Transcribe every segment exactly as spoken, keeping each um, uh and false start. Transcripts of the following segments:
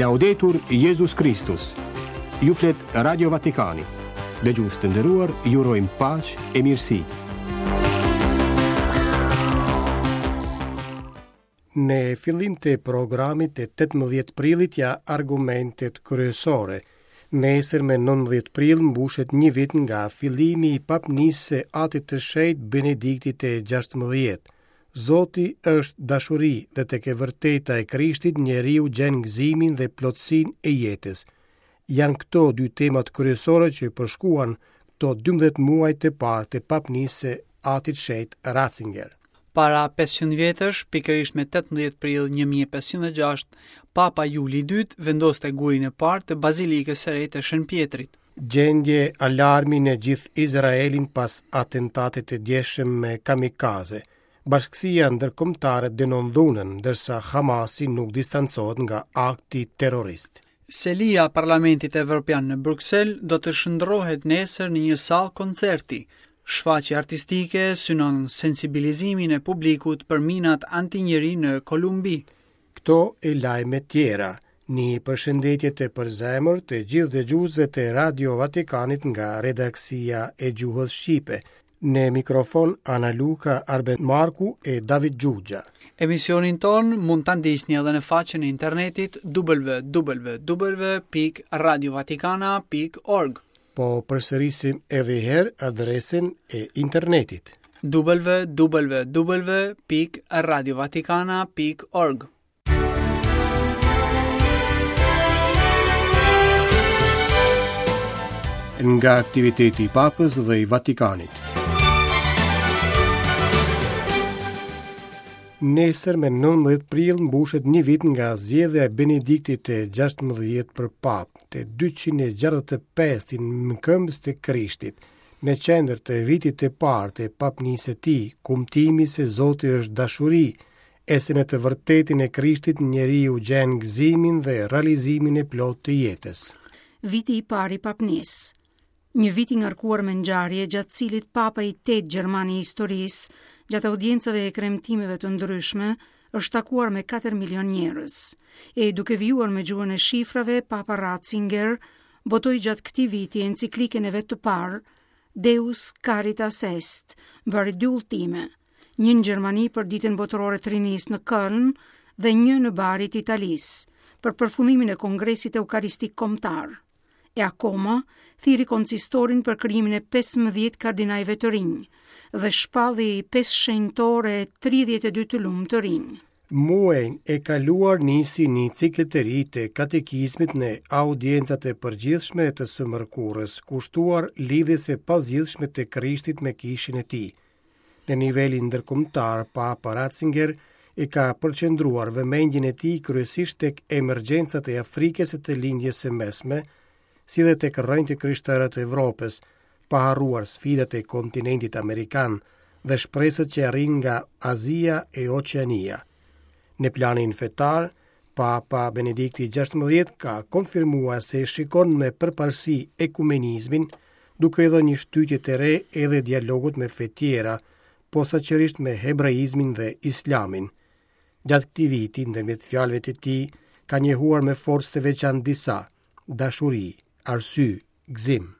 Laudetur Jezus Kristus. Ju flet Radio Vatikani. Dëgjues të nderuar, ju urojmë paqe e mirësi. Në fillim të programit të tetëmbëdhjetë prillit ja argumentet kryesore. Nesër me nëntëmbëdhjetë prill mbushet një vit nga fillimi i papnisë së Atit të Shenjtë Benediktit të gjashtëmbëdhjetë. Zoti është dashuri dhe tek e vërteta e Krishtit njeriu gjen gëzimin dhe plotësinë e jetës. Janë këto dy temat kryesore që përshkuan këto dymbëdhjetë muaj të parë të papnisë së Atit Shenjt Ratzinger. Para pesëqind vjetësh, pikërisht me tetëmbëdhjetë prill një mijë e pesëqind e gjashtë, Papa Juli i dytë vendoste gurin e parë të Bazilikës së Re të Shën Pjetrit. Gjendje alarmi në gjithë Izraelin pas atentatit të djeshëm me kamikaze. Bashkësia ndërkombëtare dënon dhunën, ndërsa Hamasi nuk distancohet nga akti terrorist. Selia e Parlamentit Evropian në Bruksel do të shndërrohet nesër në një sallë koncerti. Shfaqja artistike synon sensibilizimin e publikut për minat antinjeri në Kolumbi. Këto e lajme tjera, një përshëndetje të përzemër të gjithë dëgjuesve të Radio Vatikanit nga redaksia e gjuhës shqipe. Në mikrofon Ana Luka, Arben Marku e David Xhuxha. Emisionin ton mund ta ndiqni edhe në faqen e internetit w w w pikë radio vatikana pikë org. Po përsërisim edhe një herë adresën e internetit. w w w pikë radio vatikana pikë org. Nga aktiviteti i Papës dhe i Vatikanit. Nesër me nëntëmbëdhjetë prill mbushet një vit nga zgjedhja e Benediktit të gjashtëmbëdhjetë për papë, të dyqind e gjashtëdhjetë e pestin mëkëmbës të Krishtit. Në qendër të vitit të parë të papnisë së tij, kumtimi se Zoti është dashuri, e se në të vërtetin e Krishtit njeriu gjen gëzimin dhe realizimin e plotë të jetës. Viti i parë i papnisë. Një vit i ngarkuar me ngjarje gjatë cilit Papa i tetë gjerman i historisë, gjatë audiencave e kremtimeve të ndryshme, është takuar me katër milion njerëz. E duke vijuar me gjuhën e shifrave, Papa Ratzinger botoi gjatë këtij viti enciklikën e vet të parë, Deus Caritas Est, bëri dy udhëtime, një në Gjermani për ditën botërore të rinisë në Köln dhe një në Bari të Italisë, për përfundimin e Kongresit Eukaristik Kombëtar. E akoma, thirri konsistorin për krijimin e pesëmbëdhjetë kardinajve të rinj dhe shpalli pesë shenjtore e tridhjetë e dy të lumë të rinj. Muajin e kaluar nisi një cikël të ri të katekizmit në audiencat e përgjithshme të së mërkurës, kushtuar lidhjes së pazgjidhshme të Krishtit me kishën e tij. Në nivelin ndërkombëtar, Papa Ratzinger e ka përqendruar vëmendjen e tij kryesisht tek emergjencat e Afrikës e të Lindjes së Mesme, si dhe tek rrënjët e krishterë të Evropës, pa harruar sfidat e kontinentit amerikan dhe shpresat që arrijnë nga Azia e Oqeania. Në planin fetar, Papa Benedikti gjashtëmbëdhjetë ka konfirmuar se shikon me përparësi ekumenizmin, duke i dhënë një shtytje të re edhe dialogut me fe tjera, posaçërisht me hebraizmin dhe islamin. Gjatë këtij viti, ndërmjet fjalëve të tij, ka njohuar me forcë të veçantë disa: dashuri, arsye, gëzim.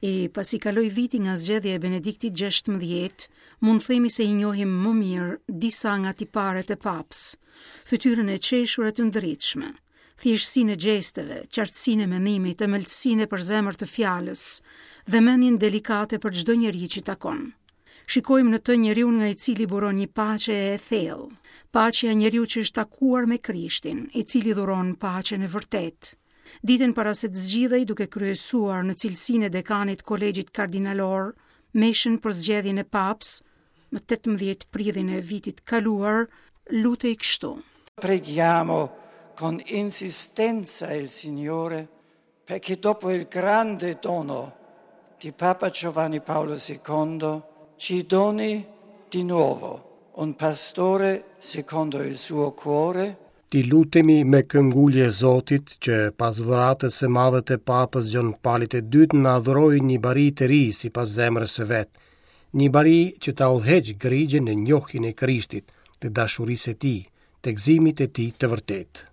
E pasi kaloi viti nga zgjedhja e Benediktit gjashtëmbëdhjetë, mund themi se i njohim më mirë disa nga tiparet e papës, fytyrën e qeshur e të ndritshme, thjeshtësinë e gjesteve, qartësinë e mendimit, ëmbëlsinë e përzemër të fjalës, vëmendjen delikate për çdo njeri që takon. Shikojmë në të njeriu nga i cili buron një paqe e thellë, paqja e njeriu që është takuar me Krishtin, i cili dhuron paqen e vërtetë. Ditën para se të zgjidhej duke kryesuar në cilësinë e dekanit kolegjit kardinalor, meshën për zgjedhjen e papës, më tetëmbëdhjetë prillin e vitit kaluar, lutej kështu. Preghiamo con insistenza il Signore perché dopo il grande dono di Papa Giovanni Paolo secondo ci doni di nuovo un pastore secondo il suo cuore. Ti lutemi me këngulje Zotit që pas dhuratës së madhe të Papës Gjon Palit të dytë na dhuroi një bari të ri sipas zemrës së vet, një bari që ta udhëheq grigjën në njohjen e Krishtit, të dashurisë së tij, të gëzimit të tij të vërtetë.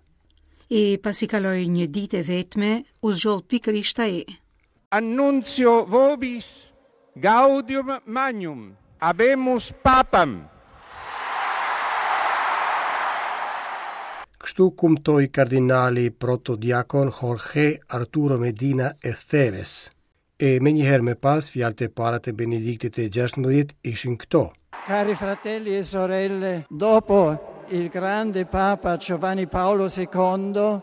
E pasi kaloi një ditë e vetme, u zgjodh pikërisht ai. Annuncio vobis gaudium magnum, habemus papam. Kështu kumtoi kardinali protodiakon Jorge Arturo Medina Esteves. E menjëherë më pas, fjalët e para të Benediktit të gjashtëmbëdhjetë ishin këto. Cari fratelli e sorelle, dopo il grande Papa Giovanni Paolo secondo,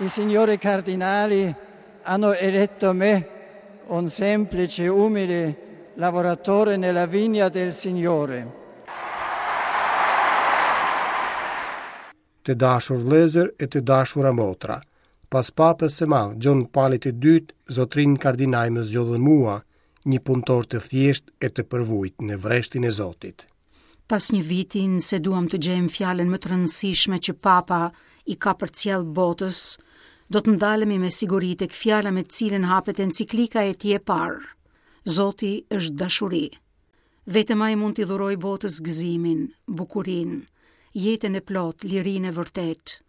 i signori cardinali hanno eletto me, un semplice, umile lavoratore nella vigna del Signore. Të dashur vëllezër e të dashura motra, pas papës së madh Gjon Palit të dytë, zotrin kardinal më zgjodhën mua, një punëtor të thjeshtë e të përvujt në vreshtin e Zotit. Pas një viti, nëse duam të gjejmë fjalën më të rëndësishme që Papa i ka përcjell botës, do të ndalemi me siguri tek fjala me të cilën hapet enciklika e tij e parë. Zoti është dashuri. Vetëm ai mund t'i dhurojë botës gëzimin, bukurinë, jetën e plotë, lirinë e vërtetë.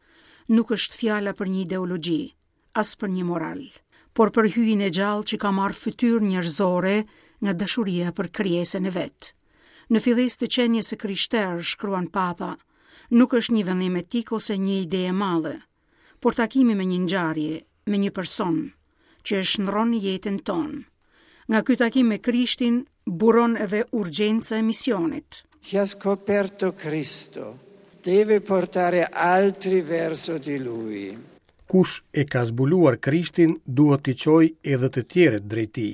Nuk është fjala për një ideologji, as për një moral, por për hyjin e gjallë që ka marrë fytyrë njerëzore nga dashuria për krijesën e vet. Në fillesë të qenies së krishterë, shkruan Papa, nuk është një vendim etik ose një ide e madhe, por takimi me një ngjarje, me një person, që e shndron jetën tonë. Nga ky takim me Krishtin buron edhe urgjenca e misionit. Chi ha scoperto Cristo deve portare altri verso di lui. Kush e ka zbuluar Krishtin duhet t'i çojë edhe të tjerët drejt tij.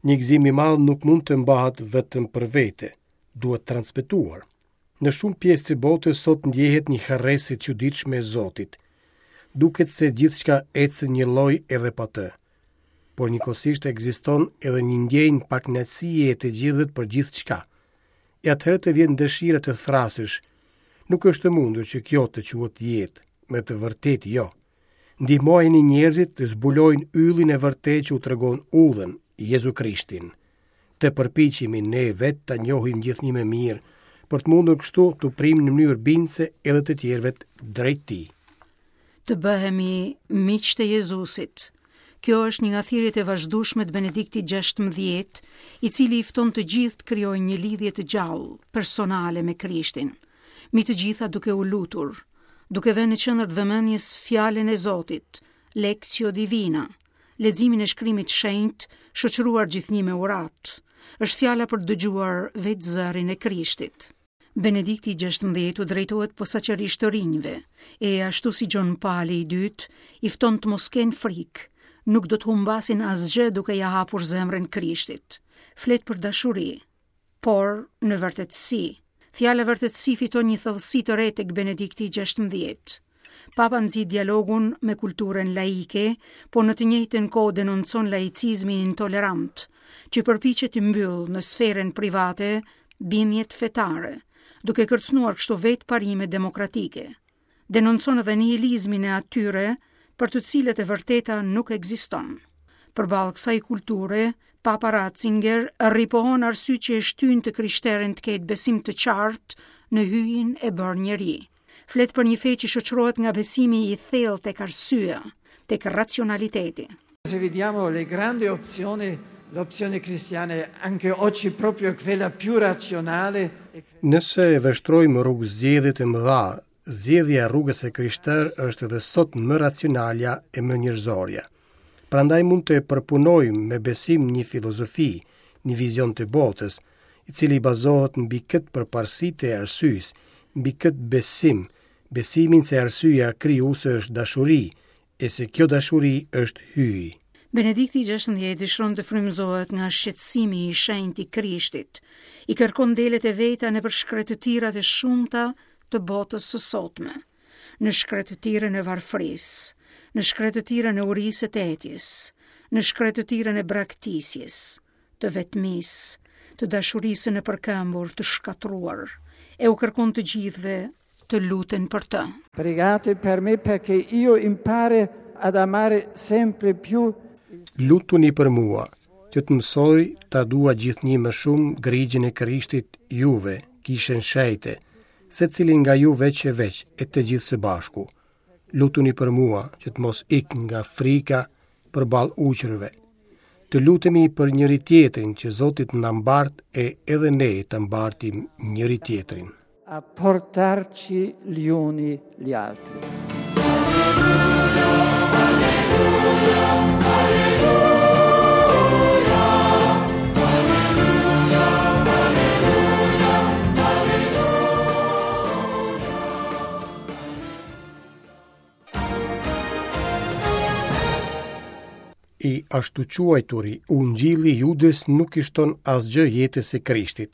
Një gëzim i madh nuk mund të mbahet vetëm për vete, duhet transmetuar. Në shumë pjesë të botës sot ndjehet një harresë e çuditshme e Zotit. Duket se gjithçka ecën një lloj edhe pa të. Por njëkohësisht ekziston edhe një ndjenjë pakënaqësie e të gjithëve për gjithçka. E atëherë të vjen dëshira të thrasësh. Nuk është e mundur që kjo të quhet jetë, me të vërtetë jo. Ndihmojeni njerëzit të zbulojnë yllin e vërtetë që u tregon udhën, Jezu Krishtin. Të përpiqemi ne vetë ta njohim gjithnjë më mirë, për të mundur kështu të prim në mënyrë bindëse edhe të tjerëve drejt tij. Të bëhemi miq të Jezusit. Kjo është një nga thirrjet e vazhdueshme të Benediktit gjashtëmbëdhjetë, i cili i fton të gjithë të krijojnë një lidhje të gjallë, personale me Krishtin. Mi të gjitha duke u lutur, duke vënë në qendër të vëmendjes fjalën e Zotit, Lectio Divina, leximin e shkrimit shenjt, shoqëruar gjithnjë me urat. Është fjala për të dëgjuar vetë zërin e Krishtit. Benedikti gjashtëmbëdhjetë u drejtohet posaçërisht të rinjve, e ashtu si Gjon Pali i dytë, i fton të mos kenë frikë, nuk do të humbasin asgjë duke ja hapur zemrën Krishtit. Flet për dashuri, por në vërtetësi. Fjala vërtetësi fiton një thellësi të re tek Benedikti gjashtëmbëdhjetë. Papa nxit dialogun me kulturën laike, por në të njëjtën kohë denoncon laicizmin intolerant, që përpiqet të mbyllë në sferën private bindjet fetare, duke kërcënuar kështu vetë parimet demokratike. Denoncon edhe nihilizmin e atyre për të cilët e vërteta nuk ekziston. Përballë kësaj kulture, Papa Ratzinger ripohon arsye që e shtyn të krishterën të ketë besim të qartë në hyjin e bërë njeri. Flet për një fe që shoqërohet nga besimi i thellë tek arsyeja, tek racionaliteti. Se vediamo le grandi opzioni, l'opzione cristiana è anche oggi proprio quella più razionale. Nëse e vështrojmë rrugë zgjedhjet e mëdha, zgjedhja e rrugës së krishterë është edhe sot më racionalja e më njerëzorja. Prandaj mund të përpunojmë me besim një filozofi, një vizion të botës, i cili bazohet mbi këtë përparësi të arsyes, mbi këtë besim, besimin se arsyeja krijuese është dashuri, e se kjo dashuri është hyji. Benedikti gjashtëmbëdhjetë dëshiron të frymëzohet nga shqetësimi i shenjtë i Krishtit, i kërkon delet e veta nëpër shkretëtirat e shumta të botës së sotme, në shkretëtirën e varfërisë, në shkretëtirën e urisë e të etjes, në shkretëtirën e braktisjes, të vetmisë, të dashurisë në përkëmbur, të shkatruar, e u kërkon të gjithëve të luten për të. Pregate per me perché io impare ad amare sempre più. Lutuni për mua, që të mësoj ta dua gjithnjë më shumë grigjën e Krishtit juve, kishën shenjte, Secili nga ju veç e veç e të gjithë së bashku. Lutuni për mua që të mos ik nga frika përballë ujqërve. Të lutemi për njëri tjetrin që Zoti të na mbart e edhe ne të mbartim njëri tjetrin. A portarci gli uni gli altri. Alleluia, alleluia, alleluia, alleluia, alleluia. I ashtuquajturi Ungjilli i Judës nuk i shton asgjë jetës së Krishtit.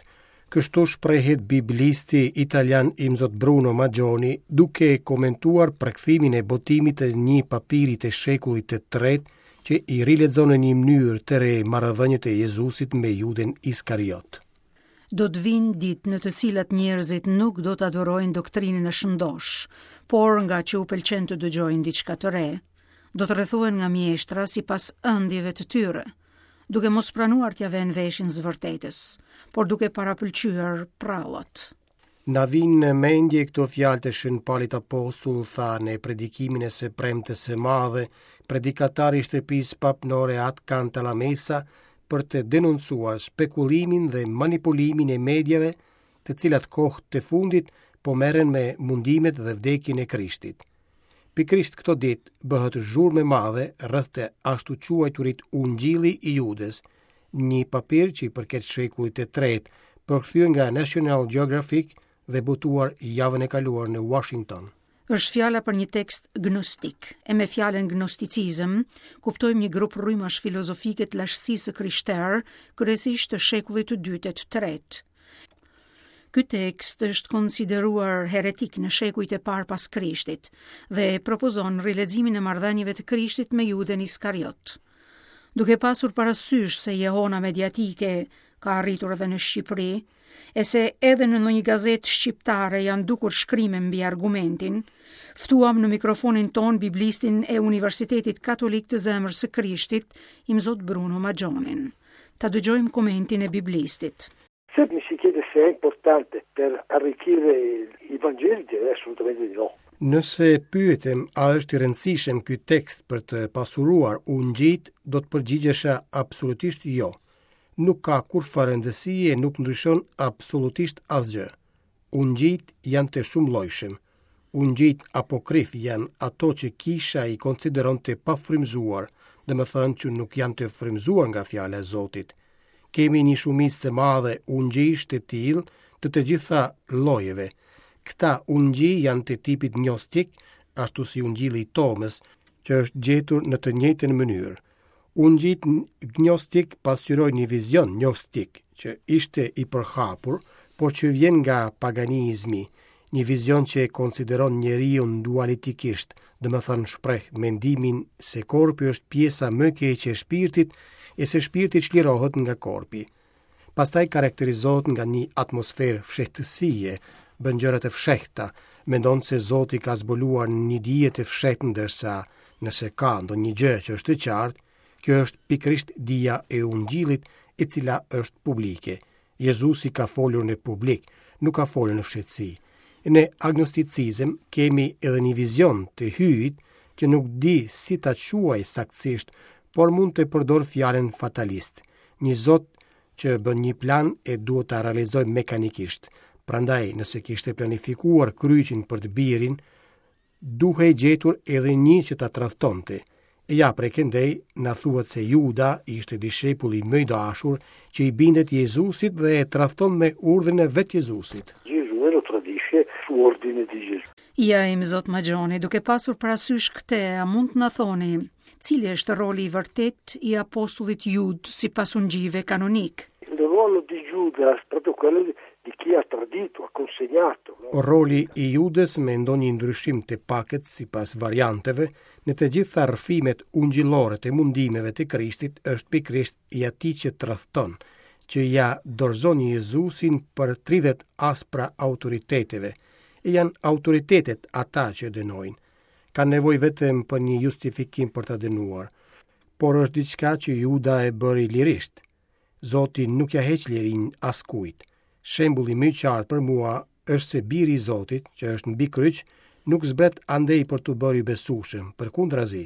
Kështu shprehet biblisti italian Imzot Bruno Maggioni duke komentuar përkthimin e botimit të një papiri të shekullit të tretë që i rilexon në një mënyrë të re marrëdhëniet e Jezusit me Judën Iskariot. Do të vinë ditë në të cilat njerëzit nuk do të adhurojnë doktrinën e shëndosh, por nga që u pëlqen të dëgjojnë diçka të re, do të rrethohen nga mjeshtra sipas ëndjeve të tyre, duke mos pranuar t'ia vënë veshin së vërtetës, por duke parapëlqyer prallat. Na vinë në mendje këto fjalë të Shën Palit Apostull, tha në predikimin e së premtes së madhe, predikatari i shtëpisë papnore At Cantalamessa, për të denoncuar spekulimin dhe manipulimin e mediave, të cilat kohë të fundit po merren me mundimet dhe vdekjen e Krishtit. Pikërisht këto ditë bëhet zhurmë e madhe rreth të ashtuquajturit Ungjilli i Judës, një papir që i përket shekullit të tretë, përkthyer nga National Geographic dhe botuar javën e kaluar në Washington. Është fjala për një tekst gnostik, e me fjalën gnosticizëm kuptojmë një grup rrymash filozofike të lashtësisë së krishterë, kryesisht të shekullit të dytë e të tretë. Ky tekst është konsideruar heretik në shekujt e parë pas Krishtit dhe propozon rileximin e marrëdhënieve të Krishtit me Judën Iskariot. Duke pasur parasysh se jehona mediatike ka arritur edhe në Shqipëri, e se edhe në ndonjë gazetë shqiptare janë dukur shkrime mbi argumentin, ftuam në mikrofonin ton biblistin e Universitetit Katolik të Zemrës së Krishtit, Imzot Bruno Maggionin. Ta dëgjojmë komentin e biblistit. Se mi si chiede se è importante per arricchire i Vangeli, direi assolutamente di no. Nëse pyetem a është i rëndësishëm ky tekst për të pasuruar ungjit, do të përgjigjesha absolutisht jo. Nuk ka kurrfarë rëndësie, nuk ndryshon absolutisht asgjë. Ungjit janë të shumëllojshëm. Ungjit apokrif janë ato që kisha i konsideron të pafrymzuar, domethënë që nuk janë të frymzuar nga fjala e Zotit. Kemi një shumicë të madhe ungjish të tillë të të gjitha llojeve. Këta ungji janë të tipit gnostik, ashtu si ungjilli i Tomës, që është gjetur në të njëjtën mënyrë. Ungjit gnostik pasqyrojnë një vizion gnostik që ishte i përhapur, por që vjen nga paganizmi, një vizion që e konsideron njeriun dualitikisht, domethënë shpreh mendimin se korpi është pjesa më e keqe e shpirtit e se shpirti çlirohet nga korpi. Pastaj karakterizohet nga një atmosferë fshehtësie, bën gjëra të fshehta, mendon se Zoti ka zbuluar një dije të fshehtë, ndërsa nëse ka ndonjë gjë që është e qartë, kjo është pikërisht dija e Ungjillit, e cila është publike. Jezusi ka folur në publik, nuk ka folur në fshehtësi. Në agnosticizëm kemi edhe një vizion të hyjit që nuk di si ta quaj saktësisht, por mund të përdor fjalën fatalist, një zot që bën një plan e duhet ta realizojë mekanikisht. Prandaj, nëse kishte planifikuar kryqin për të birin, duhej gjetur edhe një që ta tradhtonte. E ja prej këndej na thuhet se Juda ishte dishepulli më i dashur që i bindet Jezusit dhe e tradhton me urdhrin e vetë Jezusit. Gesù e lo tradisce su ordine di Gesù. Ja, Imzot Maggioni, duke pasur parasysh këtë, a mund të na thoni cili është roli i vërtet i apostullit Jud sipas ungjive kanonik? Il ruolo di Giuda è proprio quello di, di chi ha tradito, ha consegnato. No? Roli i Judës me ndonjë ndryshim të pakët sipas varianteve, në të gjitha rrëfimet ungjillore të mundimeve të Krishtit është pikërisht i atij që tradhton, që ja dorëzon Jezusin për tridhjetë aspra autoriteteve. E janë autoritetet ata që e dënojnë. Kanë nevojë vetëm për një justifikim për ta dënuar, por është diçka që Juda e bëri lirisht. Zoti nuk ja heq lirinë askujt. Shembulli më i qartë për mua është se biri i Zotit, që është mbi kryq, nuk zbret andej për t'u bërë i besueshëm, përkundrazi,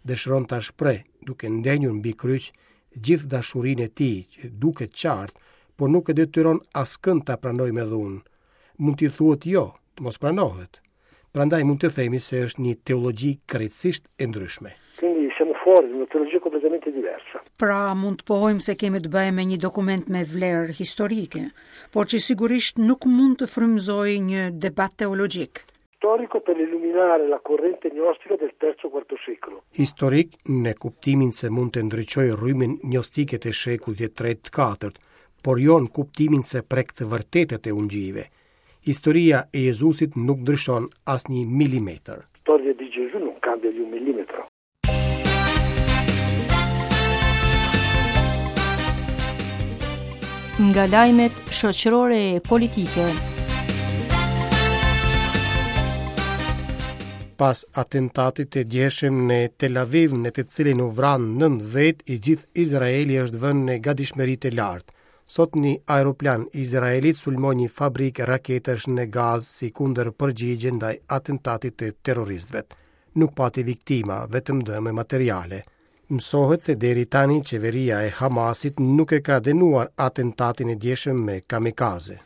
dëshiron ta shpreh duke ndenjur mbi kryq gjithë dashurinë e tij, që duket qartë, por nuk e detyron askënd ta pranojë me dhunë. Mund t'i thuhet jo, të mos pranohet. Prandaj mund të themi se është një teologji krejtësisht e ndryshme. Quindi siamo fuori di una teologia completamente diversa. Pra mund të pohojmë se kemi të bëjmë me një dokument me vlerë historike, por që sigurisht nuk mund të frymëzojë një debat teologjik. Storico per illuminare la corrente gnostica del terzo quarto secolo. Historik në kuptimin se mund të ndriçojë rrymën gnostike të shekullit të tretë të katërt, por jo në kuptimin se prek të vërtetat e ungjijve. Historia e Jezusit nuk ndryshon asnjë milimetër. Storia di Gesù non cambia di un millimetro. Nga lajmet shoqërore e politike. Pas atentatit të djeshëm në Tel Aviv, në të cilin u vranë nëntë vetë, i gjithë Izraeli është vënë në gatishmëri të lartë. Sot një aeroplan izraelit sulmoi një fabrikë raketash në Gazë si kundër përgjigje ndaj atentatit të terroristëve. Nuk pati viktima, vetëm dëme materiale. Mësohet se deri tani qeveria e Hamasit nuk e ka dënuar atentatin e djeshëm me kamikaze.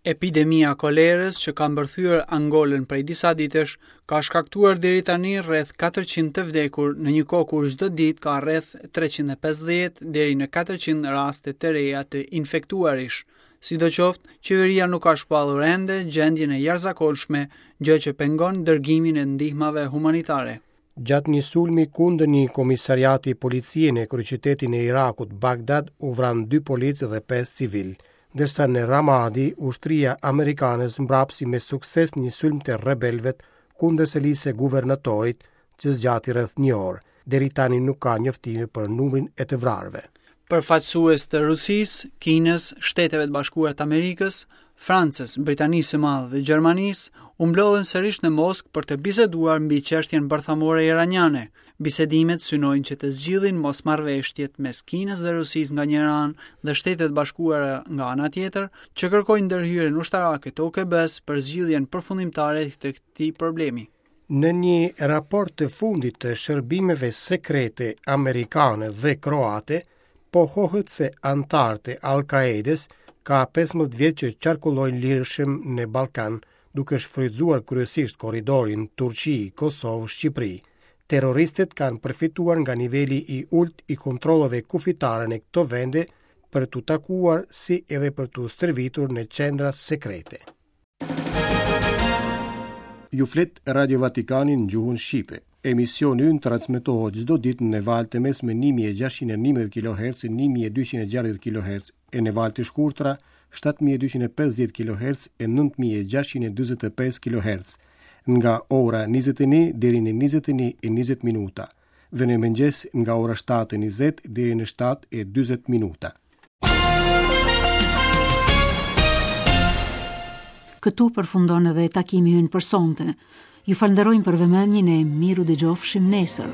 Epidemia kolerës që ka mbërthyer Angolën prej disa ditësh ka shkaktuar deri tani rreth katërqind të vdekur në një kohë kur çdo ditë ka rreth treqind e pesëdhjetë deri në katërqind raste të reja të infektuarish. Sidoqoftë, qeveria nuk ka shpallur ende gjendjen e jashtëzakonshme, gjë që pengon dërgimin e ndihmave humanitare. Gjatë një sulmi kundër një komisariati policie në kryeqytetin e Irakut, Bagdad, u vranë dy policë dhe pesë civil, ndërsa në Ramadi, ushtria amerikane zmbrapsi me sukses një sulm të rebelëve kundër selisë së guvernatorit që zgjati rreth një orë. Deri tani nuk ka njoftime për numrin e të vrarëve. Përfaqësues të Rusisë, Kinës, Shteteve të Bashkuara të Amerikës, Francës, Britanisë së Madhe dhe Gjermanisë u mblodhën sërish në Moskë për të biseduar mbi çështjen bërthamore iraniane. Bisedimet synojnë që të zgjidhin mosmarrëveshjet mes Kinës dhe Rusisë nga njëra anë dhe Shtetet e Bashkuara nga ana tjetër, që kërkojnë ndërhyrjen ushtarake të O K B-s për zgjidhjen përfundimtare të këtij problemi. Në një raport të fundit të shërbimeve sekrete amerikane dhe kroate, pohohet se anëtarët e Al-Qaedës ka pesëmbëdhjetë vjet që qarkullojnë lirshëm në Ballkan, duke shfrytzuar kryesisht korridorin Turqi, Kosovë, Shqipëri. Terroristët kanë përfituar nga niveli i ulët i kontrolleve kufitare në këto vende për t'u takuar si edhe për t'u stërvitur në qendra sekrete. Ju flet Radio Vatikani në gjuhën shqipe. Emisioni ynë transmetohet çdo ditë në valë të mesme një mijë e gjashtëqind e njëmbëdhjetë kilohertz, një mijë e dyqind e gjashtëdhjetë kilohertz e në valë të shkurtra shtatë mijë e dyqind e pesëdhjetë kilohertz e nëntë mijë e gjashtëqind e dyzet e pesë kilohertz, nga ora njëzet e një deri në njëzet e një e njëzet minuta dhe në mëngjes nga ora shtatë e njëzet deri në shtatë e dyzet minuta. Këtu përfundon edhe takimi ynë për sonte. Ju falenderojmë për vëmendjen e miru dëgjofshim nesër.